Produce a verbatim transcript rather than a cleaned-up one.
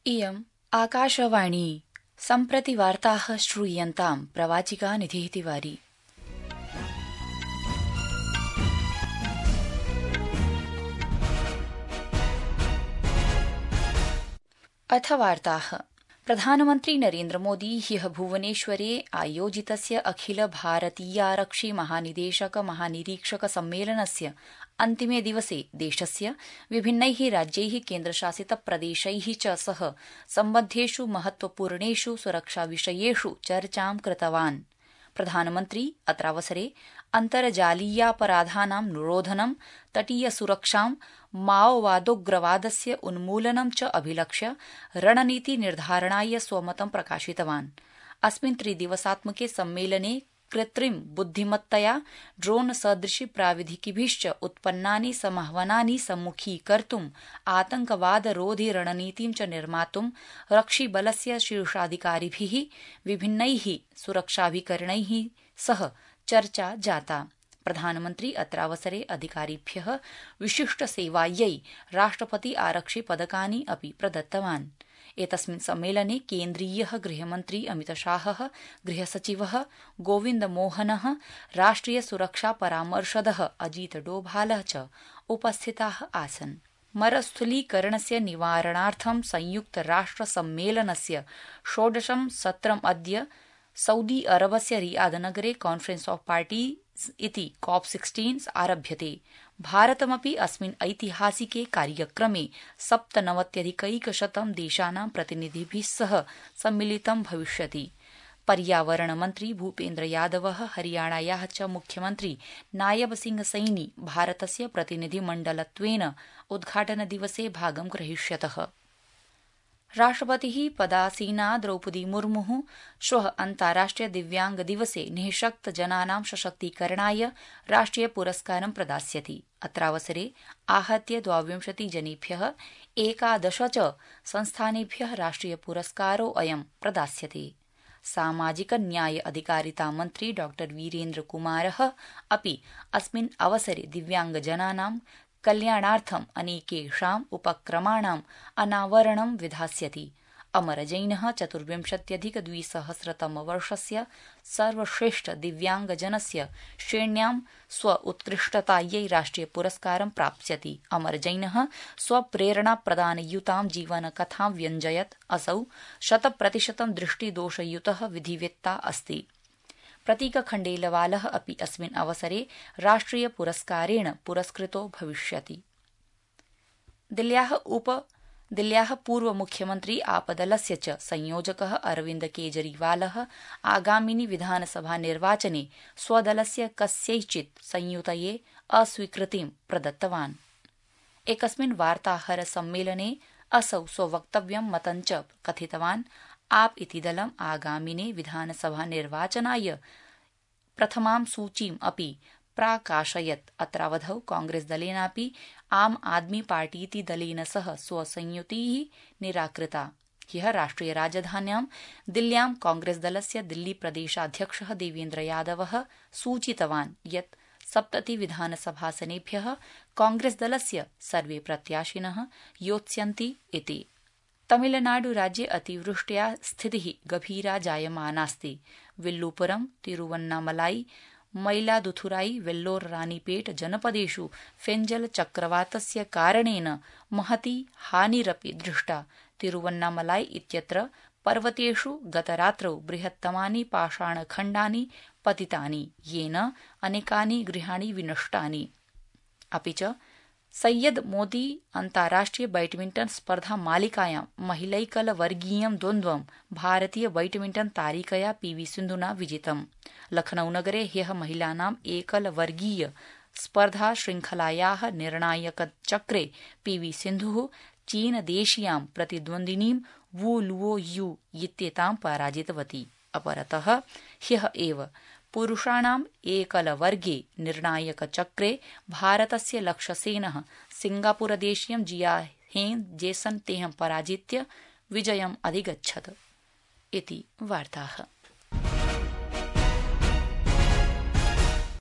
इयम् आकाशवाणी सम्प्रति वार्ताः श्रूयन्ताम् प्रवाचिका निधिः तिवारी। अथ वार्ताः। प्रधानमन्त्री नरेन्द्र मोदी ह्यः भुवनेश्वरे आयोजितस्य अखिल भारतीयारक्षि महानिदेशक महानिरीक्षक सम्मेलनस्य अन्तिमे दिवसे देशस्य विभिन्नैः राज्यैः केन्द्रशासित प्रदेशैः च सह सम्बद्धेषु महत्वपूर्णेषु सुरक्षाविषयेषु चर्चां कृतवान्। प्रधानमन्त्री अत्रावसरे अन्तर्जालीयापराधानां निरोधनं, तटीयसुरक्षां, माओवादोग्रवादस्य उन्मूलनं च अभिलक्ष्य रणनीतिनिर्धारणाय स्वमतं प्रकाशितवान्। अस्मिन् त्रिदिवसात्मके सम्मेलने कृत्रिम बुद्धिमत्तया ड्रोन सदृशि प्राविधिकिभिश्च उत्पन्नानि समाह्वानानि सम्मुखीकर्तुं आतंकवादरोधि रणनीतिं च निर्मातुं रक्षिबलस्य शीर्षाधिकारिभिः विभिन्नैः सुरक्षाभिकरणैः सह चर्चा जाता। प्रधानमन्त्री अत्रावसरे अधिकारिभ्यः विशिष्टसेवायै राष्ट्रपति आरक्षि पदकानि अपि प्रदत्तवान्। एतस्मिन् सम्मेलने केन्द्रीयः गृहमन्त्री अमितशाहः, गृहसचिवः गोविन्दमोहनः, राष्ट्रिय सुरक्षा परामर्शदः अजीत डोभालः च उपस्थिताः आसन्। मरुस्थलीकरणस्य निवारणार्थं संयुक्तराष्ट्रसम्मेलनस्य षोडशं सत्रम् अद्य सऊदी अरबस्य रियादनगरे कॉन्फरेन्स ऑफ पार्टीज इति कॉप सोलह आरभ्यते। भारतमपि अस्मिन् ऐतिहासिके कार्यक्रमे सप्तनवत्यधिकैकशतं देशानां प्रतिनिधिभिः सह सम्मिलितं भविष्यति। पर्यावरणमन्त्री भूपेन्द्र यादवः, हरियाणायाः च मुख्यमन्त्री नायब सिंह सैनी भारतस्य प्रतिनिधिमण्डलत्वेन उद्घाटनदिवसे भागं ग्रहीष्यतः। राष्ट्रपतिः पदासीना द्रौपदी मुर्मुः श्वः अन्ताराष्ट्रिय दिव्यांग दिवसे निःशक्तजनानां सशक्तीकरणाय राष्ट्रिय पुरस्कारं प्रदास्यति। अत्रावसरे आहत्य द्वाविंशतिजनेभ्यः एकादश च संस्थानेभ्यः राष्ट्रिय पुरस्कारोऽयं प्रदास्यते। सामाजिक न्याय अधिकारिता मन्त्री डॉ वीरेन्द्र कुमारः अपि अस्मिन् अवसरे दिव्यांगजनानां कल्याणार्थम् अनेकेषाम् उपक्रमाणाम् अनावरणं विधास्यति। अमरजैनः चतुर्विंशत्यधिकद्विसहस्रतमवर्षस्य सर्वश्रेष्ठ दिव्यांगजनस्य श्रेण्यां स्व उत्कृष्टतायै राष्ट्रिय पुरस्कारं प्राप्स्यति। अमरजैनः स्वप्रेरणाप्रदानयुतां जीवनकथां व्यञ्जयत्। असौ शतप्रतिशतं दृष्टिदोषयुतः विधिवेत्ता अस्ति। प्रतीक खण्डेलवालः अपि अस्मिन् अवसरे राष्ट्रिय पुरस्कारेण पुरस्कृतो भविष्यति। दिल्ल्याः उप दिल्ल्याः पूर्वमुख्यमन्त्री आपदलस्य च संयोजकः अरविन्द केजरीवालः आगामिनि विधानसभानिर्वाचने स्वदलस्य कस्यैचित् संयुतये अस्वीकृतिं प्रदत्तवान्। एकस्मिन् वार्ताहर सम्मेलने असौ स्ववक्तव्यं मतं च कथितवान्। आप इति दलम् आगामिने विधानसभानिर्वाचनाय प्रथमां सूचीम् अपि प्राकाशयत्। अत्रावधौ कांग्रेसदलेनापि आम आदमी पार्टीति दलेन सह स्वसंयुतिः निराकृता। ह्यः राष्ट्रिय राजधान्यां दिल्ल्यां कांग्रेसदलस्य दिल्लीप्रदेशाध्यक्षः देवेन्द्र यादवः सूचितवान् यत् सप्तति विधानसभासनेभ्यः कांग्रेसदलस्य सर्वे प्रत्याशिनः योत्स्यन्ति इति। तमिलनाडुराज्ये अतिवृष्ट्या स्थितिः गभीरा जायमानास्ति। विल्लुपुरम, तिरुवन्नामलाई, मयिलादुथुराई, वेल्लोर रानीपेट जनपदेषु फेंजल चक्रवातस्य कारणेन महती हानिरपि दृष्टा। तिरुवन्नामलाई इत्यत्र पर्वतेषु गतरात्रौ बृहत्तमानि पाषाणखण्डानि पतितानि, येन अनेकानि गृहाणि विनष्टानि। अपि च सैयद मोदी अन्ताराष्ट्रिय बैडमिण्टन स्पर्धा मालिकायां महिलैकलवर्गीयं द्वन्द्वं भारतीय बैडमिण्टन तारिकया पीवी सिन्धुना विजितम्। लखनऊनगरे ह्यः महिलानाम् एकलवर्गीय स्पर्धा श्रृंखलायाः निर्णायकचक्रे पीवी सिन्धुः चीनदेशीयां प्रतिद्वन्द्विनीं वू लुओ यू इत्येतां पराजितवती। अपरतः ह्यः एव पुरुषाणाम् एकलवर्गे निर्णायकचक्रे भारतस्य लक्ष्यसेनः सिंगापुरदेशीयं जियाहेन जेसन तेहं पराजित्य विजयम् अधिगच्छत् इति वार्ताः।